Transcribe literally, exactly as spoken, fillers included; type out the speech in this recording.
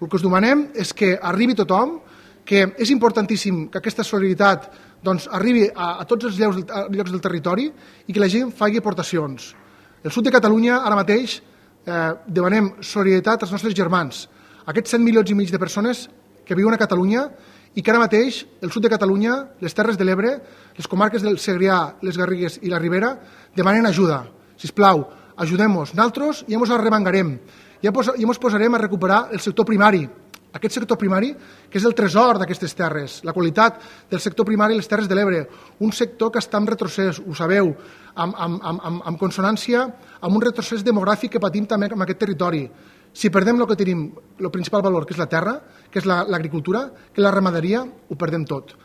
El que us demanem és que arribi tothom, que és importantíssim que aquesta solidaritat doncs, arribi a, a tots els llocs, llocs del territori i que la gent faci aportacions. El sud de Catalunya, ara mateix, eh, demanem solidaritat als nostres germans, aquests set milions i mig de persones que viuen a Catalunya i que ara mateix el sud de Catalunya, les Terres de l'Ebre, les comarques del Segrià, les Garrigues i la Ribera demanen ajuda. Sisplau, ajudem-nos. Nosaltres ja ens arremangarem, ja ens posarem a recuperar el sector primari, aquest sector primari que és el tresor d'aquestes terres, la qualitat del sector primari a les Terres de l'Ebre, un sector que està en retrocés, ho sabeu, amb, amb, amb, amb consonància amb un retrocés demogràfic que patim també en aquest territori. Si perdem el que tenim, el principal valor, que és la terra, que és l'agricultura, que és la ramaderia, ho perdem tot.